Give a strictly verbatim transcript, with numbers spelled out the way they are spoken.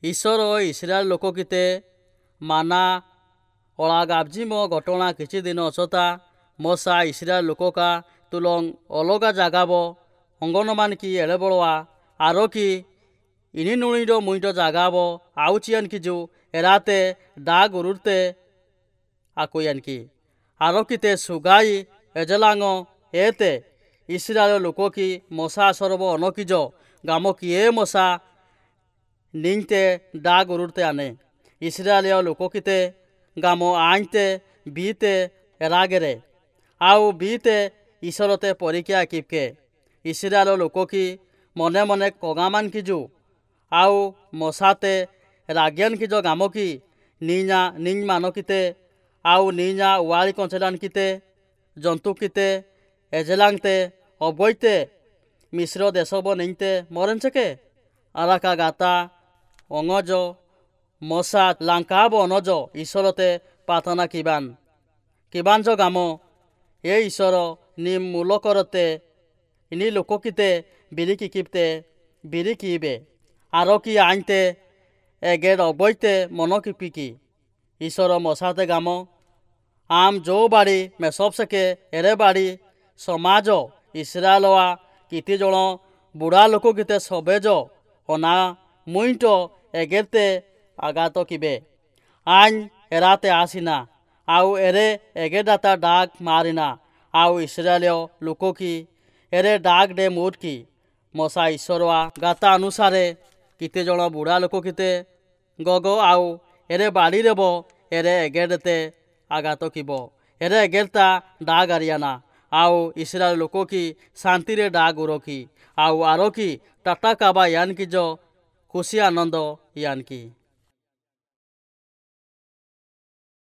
ଈଶ୍ୱର ଇସ୍ରାଏଲ ଲୋକକିତେ ମାନା ଅଳାଗାବଜିମ ଘଟଣା କିଛି ଦିନ ଅଛତା ମଶା ଇସ୍ରାଏଲ ଲୋକକା ତୁଲଂ ଅଲଗା ଜାଗାବ ଅଙ୍ଗନମାନ କି ଏଡ଼େବଳଆ ଆର କି ଇନି ନୁଣିର ମୁଇଁଟ ଜାଗାବ ଆଉ ଚିଆନ କି ଯୋ ଏରାତେ ଡା ଗୁରୁରତେ ଆକୁୟାନ କି ଆର କିତେ ସୁଗାଇ ଏଜଲାଙ୍ଗ ଏତେ ଇସ୍ରାଏଲ ଲୋକ କି ମଶା ସରବ ଅନକିଜ ଗାମ କିଏ ମଶା ନିଂତେ ଡା ଗୁରୁରତେ ଆନେ ଇସ୍ରାଏଲୀୟ ଲୋକ କିତେ ଗାମ ଆଇଁତେ ବିତେ ଏରାଗେରେ ଆଉ ବିତେ ଈଶ୍ୱରତେ ପରୀକ୍ଷା କିପକେ ଇସ୍ରାଏଲ ଲୋକ କି ମନେ ମନେ କଗାମାନ କିଜୁ ଆଉ ମଶାତେ ରାଜ୍ଞାନ କିଜ ଗାମ କି ନି냐 ନିଂ ମାନ କିତେ ଆଉ ନି냐 ୱାଳି କଞ୍ଚେଲାନ କିତେ ଜନ୍ତୁ କିତେ ଏଜେଲାংতে ଅବୈତେ ମିଶ୍ର ଦେଶବ ନିଂତେ ମରେଞ୍ଚକେ ଆରାକା ଗାତା ଅଙ୍ଗଜ ମଶା ଲାଙ୍କାବ ଅନଜ ଈଶ୍ୱରତେ ପ୍ରାର୍ଥନା କିବାନ କିବାଞ୍ଜ ଗାମ ଏ ଈଶ୍ୱର ନି ମୂଲକରତେ ନି ଲୋକକିତେ ବିରିକି କିପ୍ତେ ବିରି କିବେ ଆର କି ଆଇଁତେ ଏଗେର ଅବୈତେ ମନ କିପିକି ଈଶ୍ୱର ମଶାତେ ଗାମ ଆମ୍ ଯୋଉ ବାଡ଼ି ମେସବସେକେ ଏରେ ବାଡ଼ି ସମାଜ ଇସ୍ରାଏଲଆ କିତି ଜଣ ବୁଢ଼ା ଲୋକ କିତେ ସବେଜ ଅନା ମୁଇଁଟ ଏଗେରତେ ଆଘାତ କିବେ ଆଇନ୍ ଏରାତେ ଆସିନା ଆଉ ଏରେ ଏଗେଦାତା ଡାକ ମାରିନା ଆଉ ଇସ୍ରାଏଲୀୟ ଲୋକ କି ଏରେ ଡାକ ଡେ ମୋଟ କି ମଶା ଈଶ୍ୱରଆ ଗାତା ଅନୁସାରେ କେତେ ଜଣ ବୁଢ଼ା ଲୋକ କେତେ ଗଗ ଆଉ ଏରେ ବାଡ଼ିରେବ ଏରେ ଏଗେରତେ ଆଘାତ କିବ ଏରେ ଏଗେରତା ଡାଗ ଆରିଆନା ଆଉ ଇସ୍ରାଏଲ ଲୋକ କି ଶାନ୍ତିରେ ଡାଗ ଉରକି ଆଉ ଆର କି ଟାଟା କାବା ୟାନ କିଜ ଖୁସି ଆନନ୍ଦ ୟାନ କି।